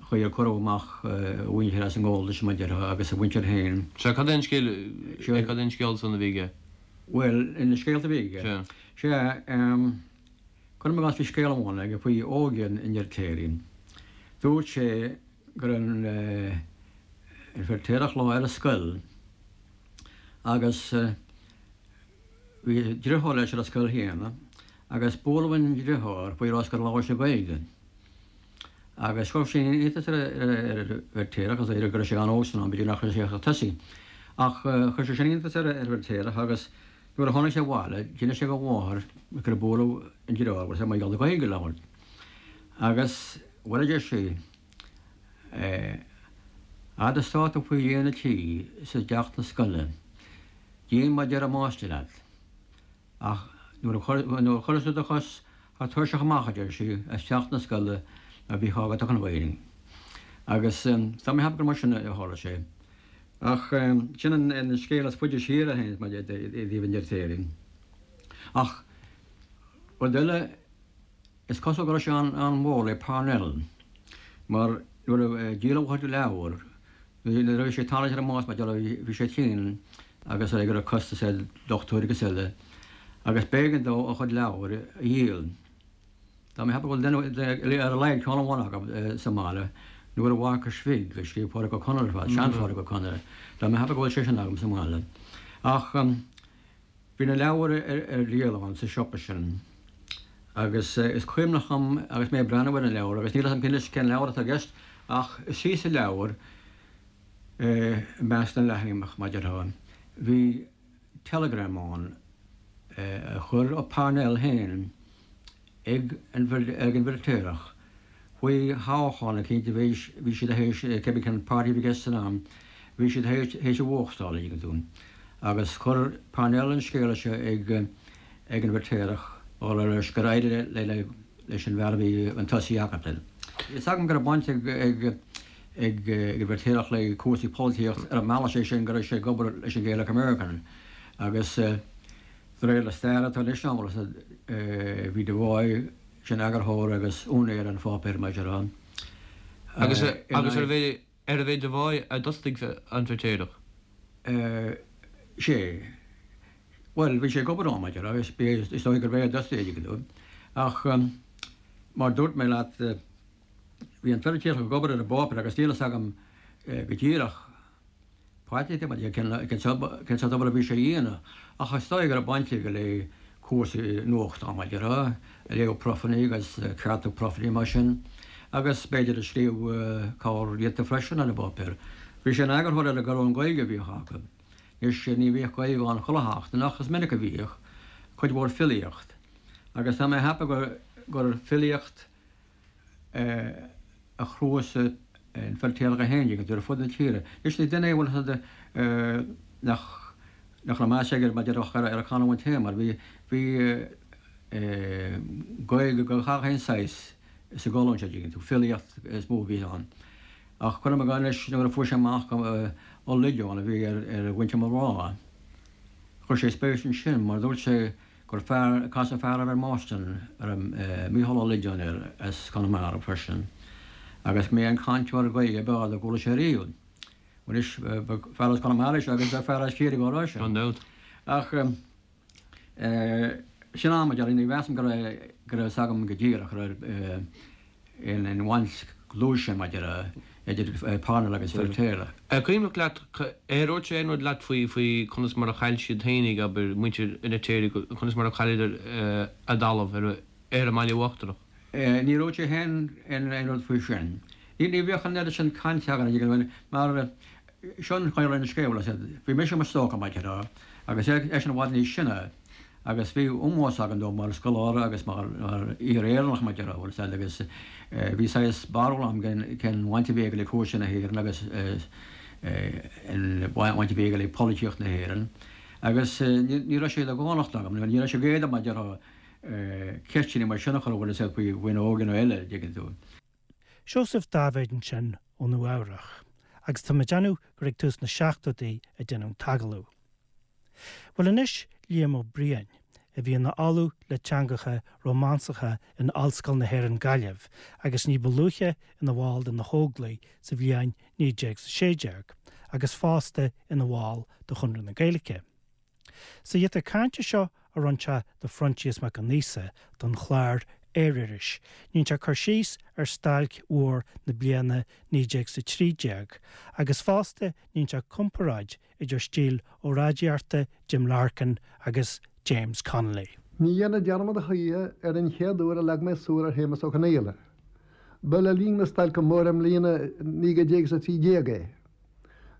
chaoi ar cuireadh amach a mhuintir as an nGabháltas, mar a déarfá, agus a mhuintir féin. Sea, cad é an scéal, cad é an scéal san a bhí aige? Bhuel, na scéalta a bhí aige. Sea. Sea, cuirim i gcás bhí scéal amháin aige faoi óige an Fheirtéaraigh. Dúirt sé go raibh an Feirtéarach lá ar an scoil agus bhí driotháir leis ar an scoil chéanna agus bualadh an driotháir faoi rás gur labhair sé Gaeilge. Agus chuir sin iontas ar an bhFeirtéarach, is dóigh go raibh sé an-óg san am, b'fhéidir nach raibh sé ach ag tosaí. Ach chuir sé sin iontas ar an bhFeirtéarach agus nuair a tháinig sé abhaile, d'inis sé dá mháthair gur bualadh an driotháir agus mar gheall ar Ghaeilge a labhairt. Agus bhuel a deir sí, fhad is atá tú faoi dhíon an tí is i dteach na scoile, déan mar deir an máistir leat. Ach nuair a chuireas tú do chos thar tairseach amach, a deir sí, as teach na scoile, ná bí ag caint an Ghaeilge. Agus tá mé ag ceapadh gur mar sin a tharla sé. Ach sin an scéal is faide siar a théann i dtaobh an Fheirtéaraigh. Ach rud eile, is cosúil go raibh sé an-mhór le Parnell, mar nuair a dhíol a chuid leabhar, nuair a bhí sé ag tarraingt ar an mbás, mar déarfá, bhí sé tinn agus go raibh costas ar dochtúirí agus eile, agus b'éigean dó a chuid leabhar a dhíol. Tá mé ag ceapadh go bhfuil duine ar a laghad ceann amháin acu sa mbaile, Nuair a Mharcais Bhig, a scríobh Pádraic Ó Conaire ar fad, sean-Phádraic Ó Conaire. Tá mé ag ceapadh go bhfuil sé sin agam sa mbaile. Ach bhí na leabhair ar díol ann sa siopa sin agus is cuimhneach liom agus mé ag breathnú ar an leabhar, agus níl a fhios agam anois cén leabhar atá i gceist, ach istigh sa leabhar, i measc na leathanach, mar a déarfá, bhí teileagram ann a chuir Parnell féin ag an bhFeirtéarach faoi thoghchán eicínt a bhí bhí siad théis, cibé cén páirtí a bhí i gceist san am, bhí siad théis a bhuachtáil, an dtuigeann tú. Agus chuir Parnell an scéala seo ag ag an bhFeirtéarach á rá leis gur éirigh le le leis an bhfear a bhí chun tosaigh acu. Is agam go raibh baint ag ag ag an bhFeirtéarach le cúrsaí polaitíocht ar an mbealach sé sin go raibh sé ag obair leis an Gaelic American agus de réir na staire atá anois ann, bhí Devoy, sin eagarthóir agus úinéir an pháipéir, mar a déarfá, Agus agus ar ar a bhéid de bháid a d'fhostaigh an Feirtéarach? Sé. Bhuel, bhí sé ag obair ann, mar agus is dóigh gurbh é a d'fhostaigh é. Ach mar dúirt mé leat, bhí an Feirtéarach ag obair ar an bpáipéar agus níl a fhios agam go díreach cén sórt obair a bhí sé a dhéanamh, ach is dóigh go raibh baint aige le cúrsaí nuachtán, mar a déarfá, ag léamh profanna agus ceartú profanna mar sin, agus b'fhéidir ag scríobh corr-ghiota freisin ar an bpáipéar. Bhí sé ina eagarthóir ar an gcolún Gaeilge a bhíodh acu. Anois ní bhíodh Gaeilge ann chuile sheachtain ach is minic a bhíodh, cuid mhór filíocht. Agus tá mé ag ceapadh gur filíocht a chnuasaigh an Feirtéarach é féin ar fud na tíre. Anois ní duine é bhfuil fhios agat nach nach raibh meas aige mar déarfá ar a chanúint féin mar bhí bhí Gaeilge de gach aon saghas sa gcolún seo dtuigeann tú, filíocht is mó a bhí ann. Ach cuirim i gcás anois nuair a fuair sé amach Ó Loideáin a bhí ar ar mhuintir mo mhná, chuir sé spéis ansin mar dúirt sé gur fear, casadh fear air Marston, a raibh Mícheál Ó Loideáin air as Conamara freisin, agus go mb'é an cainteoir Gaeilge ab fhearr dá gcuala sé riamh. Anois, ba fear as Conamara é seo agus ba fear as Ciarraí dhá raibh sé. Gan dabht. Ach sin am, a déarfainn, ní mheasaim go raibh go raibh fhios agam go díreach go raibh aon bhaint dlúth sin maidir idir Parnell agus Feirtéarach. An cuimhneach leat, ar dhúirt sé aon rud leat faoi faoi conas mar a chaill siad fhéinig, abair, muintir an Fheirtéaraigh, conas mar a chailleadar a dtalamh ar ar an mBaile Uachtarach? Níor dhúirt sé féin aon rud faoi sin. Ní ní bhíodh an oiread sin cainte againn mar seo an chaoi a raibh an scéal, bhí mise i mo stócach mar a déarfá agus eisean i bhfad níos sine. Agus bhí ómós agam dó mar scoláire agus mar fhíor-Éireannach, mar a déarfá, bhfuil fhios agat, agus bhí saghas barúil agam cén bhaint a bhí aige le cúrsaí na hÉireann agus an bhaint a bhí aige le polaitíocht na hÉireann. Agus ní raibh sé de dhánacht agam, ní raibh sé ag éileamh, mar a déarfá, ceisteanna mar sin a chur, bhfuil fhios agat, faoi dhuine óg nó eile, dtuigeann tú. Seosamh Dáibhéid ansin ó Nua Eabhrach, agus tá mé ag déanamh gur ag tús na seachtóidí a deineadh an t-agallamh. Bhuel anois Liam Ó Briain, a bhí ina ollamh le teangacha Rómánsacha in Ollscoil na hÉireann Gaillimh agus ní ba luaithe ina bhall de na hÓglaigh sa bhliain naoi déag sé déag agus fosta ina bhall de Chonradh na Gaeilge. Sa ghiota cainte seo a rinne sé do Phroinsias Mac Con Íosa don chlár Aeriris, dhein sé cur síos ar stailc mhór na bliana naoi déag is a trí déag agus fosta dhein sé comparáid idir stíl óráidíochta Jim Larkin agus James Connolly. Ní dhéanfainn dearmad a choíche ar an chéad uair a leag mé súil ar Shéamus Ó Conghaile. Ba le linn na stailce móire i mbliain a naoi déag is a trí déag é.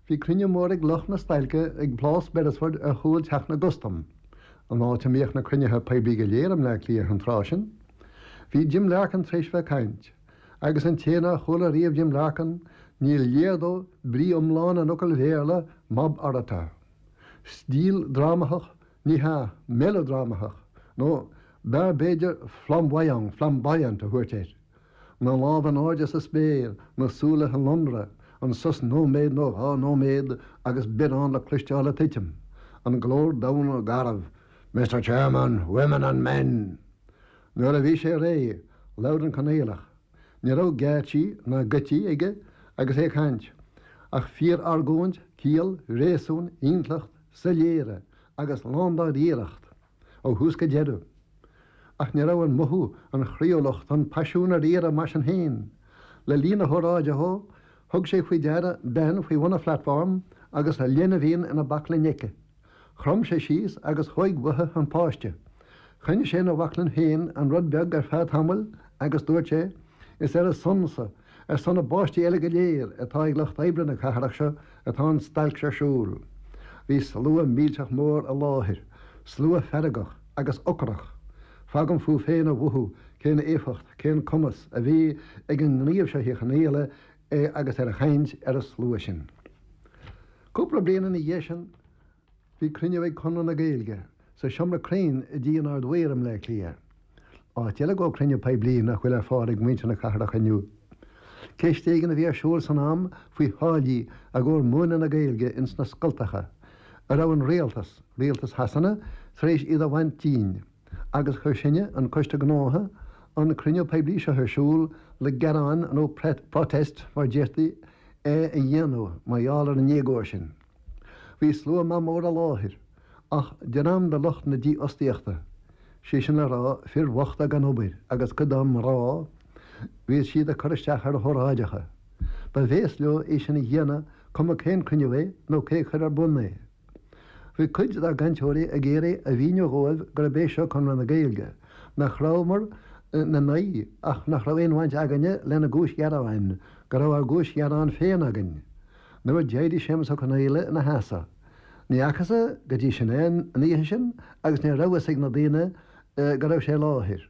Bhí cruinniú mór ag lucht na stailce ag Plás Beresford ar chúl Theach na gCustam, an áit a mbíodh na cruinnithe poiblí go léir i mBleá Cliath an tráth sin. Bhí Jim Larkin tar éis bheith ag caint, agus an té nár chuala riamh Jim Larkin, ní léir dó brí iomlán an fhocail Bhéarla mob orator. Stíl drámathach, ní hea, meileadrámathach, nó b'fhearr b'fhéidir flamboyant, flamboyant a thabhairt air. Na lámha in airde sa spéir, na súile ag lonradh, an sos nóiméad nó dhá nóiméad agus biorán le cloisteáil ag titim, an glór domhain garbh, Mister Chairman, women and men! Nuair a bhí sé réidh, labhair an Conghaileach. Ní raibh geáitsí ná geoití aige agus é ag caint, ach fíor-argóint, ciall, réasún, intleacht, soiléire agus lándáiríreacht ó thús go deireadh. Ach ní raibh an mothú, an chroíúlacht, an paisiún ar iarraidh mar sin féin. Le linn a hóráide dhó, thug sé faoi deara bean faoi bhun an phlatform agus a leinbhín ina baclainn aici. Chrom sé síos agus thóig uaithi an páiste. Choinnigh sé ina bhaclainn féin an rud beag ar feadh tamaill agus dúirt sé, Is ar a son-sa, ar son na bpáistí eile go léir atá ag lucht oibre na cathrach seo atá an stailc seo ar siúl. Bhí slua millteach mór i láthair, slua feargach agus ocrach. Fágaim fúibh féin a mhothú cén éifeacht, cén cumas a bhí ag an ngníomh seo Uí Chonghaile agus ar a chaint ar an slua sin. Cúpla bliain ina dhiaidh sin, bhí cruinniú ag Conradh na Gaeilge sa seomra cruinn i dTigh an Ard-Mhaoir i mBleá Cliath. Áit eile go cruinniú poiblí nach bhfuil ar fáil ag muintir na cathrach inniu. Ceist éigin a bhí ar siúl san am faoi tháillí i gcomhair múineadh na Gaeilge ins na scoltacha, a raibh an rialtas, rialtas Shasana, tar éis iad a bhaint dínn, agus chuir sinne, an Coiste Gnótha, an cruinniú poiblí seo ar siúl le gearán nó protest mar deirtí a dhéanamh mar gheall ar an éagóir sin. Bhí slua maith mór i láthair, ach dream de lucht na dífhostaíochta, sé sin le rá fir bhochta gan obair agus cuid dá mná, bhí siad ag cur isteach ar hóráideacha. Ba bhéas leo é sin a dhéanamh cuma cén cruinniú é nó cé chuir ar bun é. Bhí cuid dár gcainteoirí ag iarraidh a mhíniú dhóibh gurb é seo Conradh na Gaeilge, nach rabhamar ina n-aghaidh ach nach raibh aon bhaint againne lena gcúis ghearáin, go raibh ár gcúis ghearáin féin againn. Nuair a d'éirigh Séamus Ó Conghaile ina sheasamh. Ní fhacthas go dtí sin é an oíche sin agus ní raibh fhios ag na daoine go raibh sé i láthair.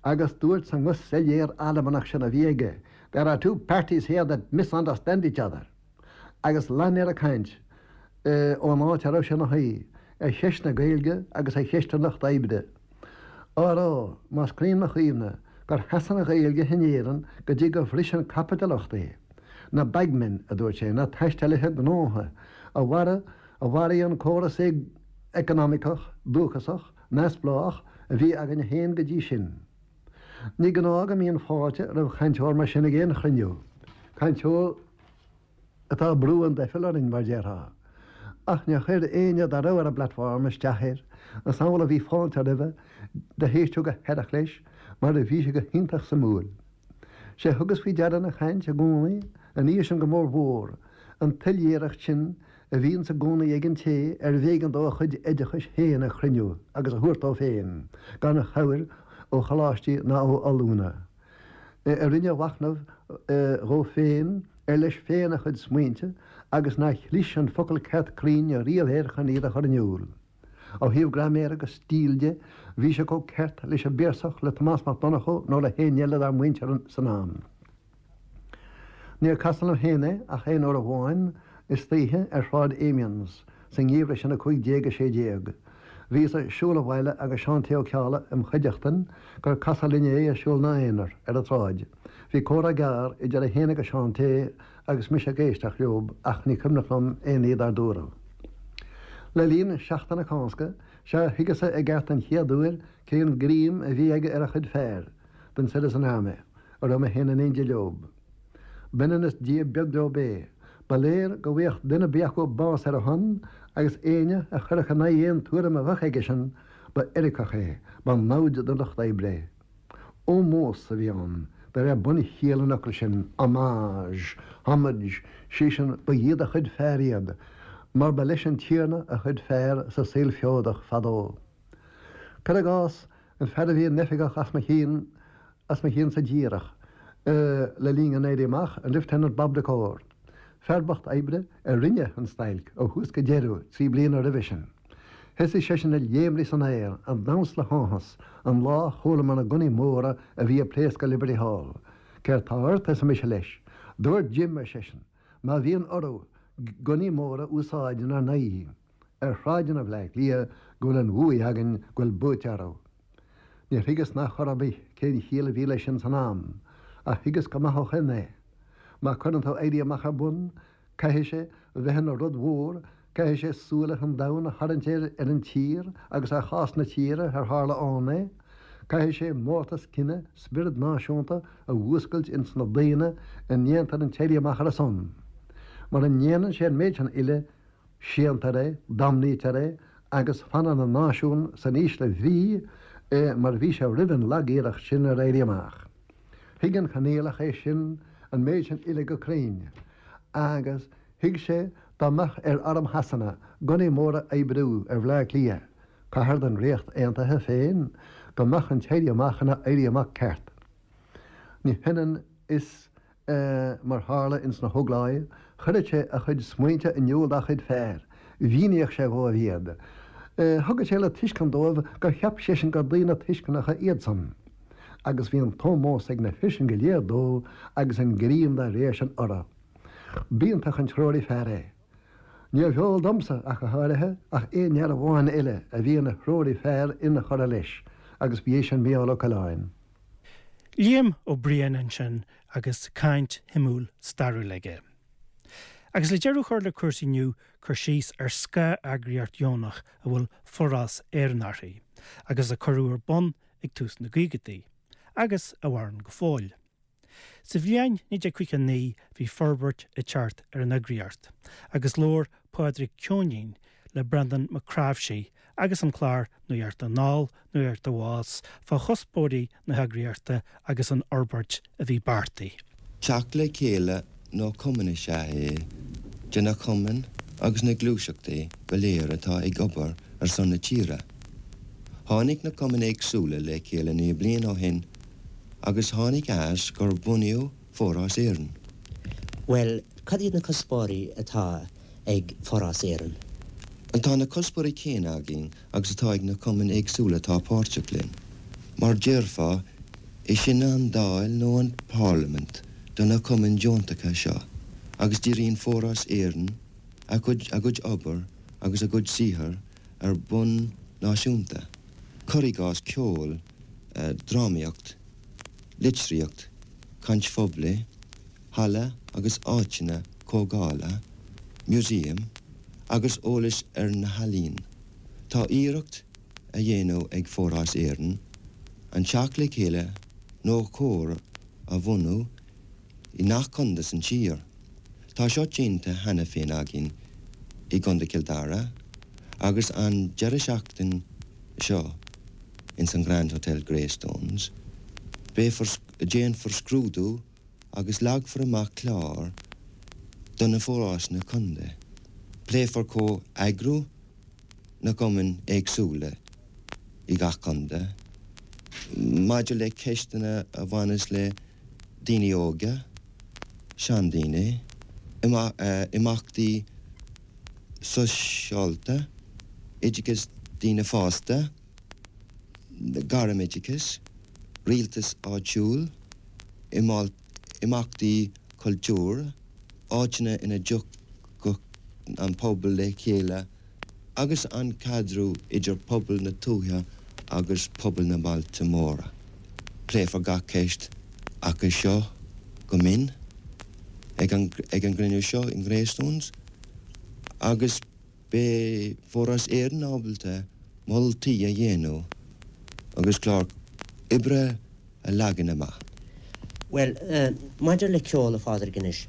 Agus dúirt sa nguth soiléir Albanach sin a bhí aige, There are two parties here that misunderstand each other. Agus lean ar a chaint ón áit a raibh sé ina shuí, ar cheist na Gaeilge agus ar cheist an lucht oibre. Á rá, más cruinn mo chuimhne, gur sheas an Ghaeilge in Éirinn go dtí gur bhris an caipitileacht é. Na bagmen, a dúirt sé, na taistealaithe gnótha, a mharaigh a mharaigh an córas eacnamaíoch dúchasach, neamhspleách, a bhí againn féin go dtí sin. Ní gnáth go mbíonn fáilte roimh chainteoir mar sin ag aon chruinniú. Cainteoir atá ag brú an dufail orainn, mar déarfá. Ach níor chuir éinne dá raibh ar an bplatform isteach air, is amhlaidh a bhí fáilte roimhe, do héisteadh go haireach leis, mar a bhí sé go hiontach suimiúil. Sé thugas faoi deara ina chaint i gcónaí, an oíche sin go mórmhór, an tsoiléireacht sin a bhíonns i gcónaí ag an té arbh éigean dó a chuid oideachais féin a chruinniú agus a thabhairt dó féin, gan chabhair ó choláistí ná ó ollúna. A rinne a mhachnamh dhó féin, ar leis féin a chuid smaointe agus nár chlis an focal ceart cruinn riamh air chun iad a chur in iúl. Ó thaobh graiméir agus stíl de, bhí sé chomh ceart leis an bPiarsach, le Tomás Mac Donnchadha nó le héinne eile dár muintir san am. Níor casadh liom féin é ach aon uair amháin istoíche ar Shráid Amiens sa ngeimhreadh sin a cúig déag a sé déag. Bhíos ag siúl abhaile agus Seán T. Ó Ceallaigh im chuideachtain gur casadh linn é ag siúl 'na aonar ar an tsráid. Bhí comhrá gearr idir é féin agus Seán T. agus mise ag éisteacht leob ach ní cuimhneach liom aon ní dár dúradh. Le linn Seachtain na Cásca, sea thuigeas-sa i gceart an chéad uair cén greim a bhí aige ar a chuid fear den Citizen Army, a raibh mé féin in éindí leob. B'ionann is Dia beag leob é. Ba léir go bhfaigheadh duine ar bith acu bás ar a shon agus éinne a chuirfeadh in aghaidh aon tuairim a bheadh aigesean, ba eiriceach é, ba namhaid don lucht oibre é. Ómós a bhí ann, de réir bunchiall an fhocail sin, homage, homage, sé sin, ba iad a chuid fear iad, mar ba leis an tiarna a chuid fear sa saol feodach fadó. Cuir i gcás, an fear a bhí ina oifigeach as mo chionn, as mo chionnsa díreach, le linn an Éirí Amach, an Lieutenant Bob de Corr, fear bocht oibre a rinne an stailc ó thús go deireadh trí bliana roimhe sin. Thosaigh seisean ag léimrigh san aer, ag damhsa le háthas, an lá a chualamar na gunnaí móra a bhí ag pléascadh i Liberty Hall. Céard tá ort? arsa mise leis. Dúirt Jim, ar seisean, má bhíonn orthu gunnaí móra a úsáid inár n-aghaidh ar shráideanna Bhaile Átha Cliath go bhfuil an bhuaidh againn, go bhfuil buaite orthu. Níor thuigeas ná chor ar bith cén chiall a bhí leis sin san am, ach thuigeas go maith ó shoin é. Má cuireann tú éirí amach ar bun, caithfidh sé bheith ina rud mhór, caithfidh sé súile an domhain a tharraingt ar an tír agus ar chás na tíre ar tharla ann é, caithfidh sé mórtas cine, spiorad náisiúnta a mhúscailt ins na daoine a ndéantar an t-éirí amach ar a son. Mura ndéanann sé an méid sin uile, séantar é, damnaítear é agus fanann an náisiún san ísle bhrí mar a bhí sé roimh an lag-iarracht sin ar éirí amach. Thuig an Conghaileach é sin, an méid sin uile go cruinn, agus thuig sé dá mbeadh ar arm Shasana gunnaí móra a oibriú ar Bhleá Cliath, cathair den Ríocht Aontaithe féin, go mbeadh an t-éirí amach ina éirí amach ceart. Ní hionann is mar tharla ins na hÓglaigh, chuireadh sé a chuid smaointe in iúl dá chuid fear, mhíníodh sé dhóibh iad. Thugadh sé le tuiscint dóibh gur cheap seisean gur daoine tuisceanacha iadsan. Agus bhí an t-ómós ag na fir sin go léir dó agus an greim dá réir sin orthu. B'iontach an treoraí fear é. Níorbh eol domsa, ach go háirithe, ach aon fhear amháin eile a bhí ina threoraí fear inchurtha leis, agus ba é sin Mícheál Ó Coileáin. Liam Ó Briain ansin agus caint shuimiúil stairiúil aige. Agus le deireadh a chur le cúrsaí inniu, cur síos ar scáth-eagraíocht dheonach a bhfuil Forás Éireann uirthi, agus a cuireadh ar bun ag tús na gcaogaidí, agus a mhaireann go fóill. Sa bhliain naoi déag caoga naoi bhí forbairt ag teacht ar an eagraíocht, agus labhair Pádraig Ceoinín le Breandán Mac Cnáimhsí agus an clár Nuacht Anall, Nuacht Abhus fá chuspóirí na heagraíochta agus an fhorbairt a bhí beartaithe. Teacht le chéile nó cumann is ea é de na cumainn agus na gluaiseachtaí go léir atá ag obair ar son na tíre. Tháinig na cumainn éagsúla le chéile naoi bliain ó shin agus tháinig as gur bunaíodh Forás Éireann. Bhuel, cad iad na cuspóirí atá ag Forás Éireann? Tá na cuspóirí céanna againn agus atá ag na cumainn éagsúla atá páirteach linn. Mar déarfá, is sinne an Dáil nó an Parlaimint do na cumainn deontacha seo, agus díríonn Forás Éireann a gcuid a gcuid obair agus a gcuid saothair ar bhonn náisiúnta. Cuir i gcás ceol, drámaíocht, litríocht, caint phoiblí, halla agus áiteanna comhdhála, museum, agus eolas ar na healaíona. Tá iarracht á dhéanamh ag Forás Éireann an teacht le chéile nó comhar a bhunú i ngach contae san tír. Tá seo déanta cheana féin againn i gContae Chill Dara agus an deireadh seachtain seo ins an Grand Hotel Greystones, beifear déanfar scrúdú agus leagfar amach clár do na forásanna contae. Pléifear comheagrú na gcumann éagsúla i gach contae maidir le ceisteanna a bhaineas le daoine óga, seandaoine, imeachtaí sóisialta, oideachas daoine fásta, gairmoideachas, rialtas áitiúil, imeachtaí cultúir, áiteanna ina dtiocfadh an pobal le chéile agus an caidreamh idir pobal na tuaithe agus pobal na mbailte móra. Pléifear gach ceist acu seo go mion ag an gcruinniú seo in Greystones agus beidh Foras Éireann ábalta moltaí a dhéanamh agus clár oibre a leagan amach. Bhuel, maidir le ceol, a Phádraig, anois,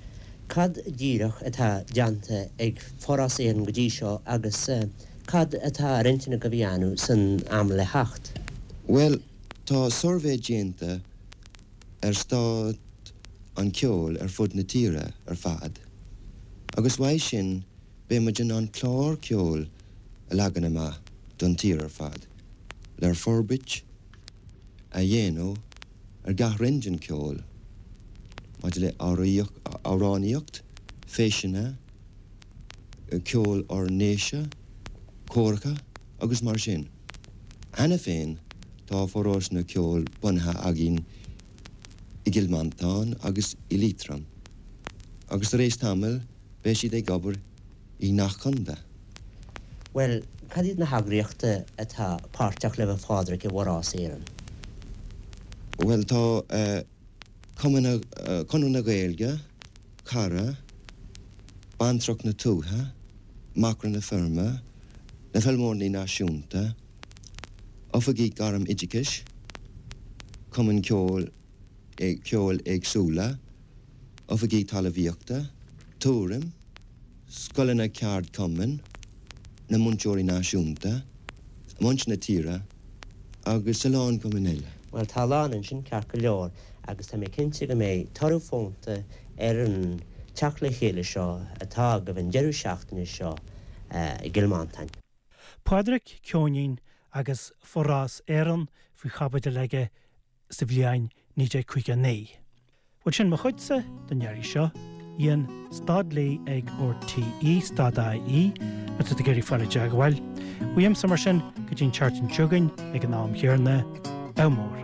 cad díreach atá déanta ag Forás Éireann go dtí seo agus cad atá ar intinn agaibh a dhéanamh san am le theacht? Bhuel, tá suirbhé déanta ar staid an cheoil ar fud na tíre ar fad agus uaidh sin beidh muid in ann clár ceoil a leagan amach don tír ar fad le forbairt a dhéanamh ar gach roinn den cheol maidir le amhránaíocht, feiseanna, ceol ár ndéise, córacha agus mar sin. Cheana féin tá forásanna ceoil bunaithe againn i gCill Mhantáin agus i Liatroim agus tar éis tamaill beidh siad ag obair i ngach contae. Bhuel, cad iad na heagraíochtaí atá páirteach libh a Phádraig i bhForás Éireann? Bhuel, tá Cumann, Conradh na Gaeilge, Cara, Bantracht na Tuaithe, Macra na Feirme, na Feilméaraí Náisiúnta, Oifigigh Gairm-Oideachais, Cumainn Ceoil, Ceoil éagsúla, Oifigigh Talmhaíochta, Tuairim, Scoileanna Ceardchumainn, na Múinteoirí Náisiúnta, Muintir na Tíre agus a lán cumainn eile. Bhuel, tá a lán ansin, ceart go leor, agus tá mé cinnte go mbeidh toradh fónta ar an teacht le chéile seo atá agaibh an deireadh seachtaine seo i gCill Mhantáin. Pádraig Ceoinín agus Forás Éireann faoi chaibidil aige sa bhliain naoi déag caoga a naoi. Bhuel sin mo chuidse don iarraidh seo. Ian stad Lee ag RTÉ stad IE má tá tú ag iarraidh fáil i dteagmháil. Uaimse mar sin go dtí an tseachtain seo chugainn ag an am chéanna, ádh mór.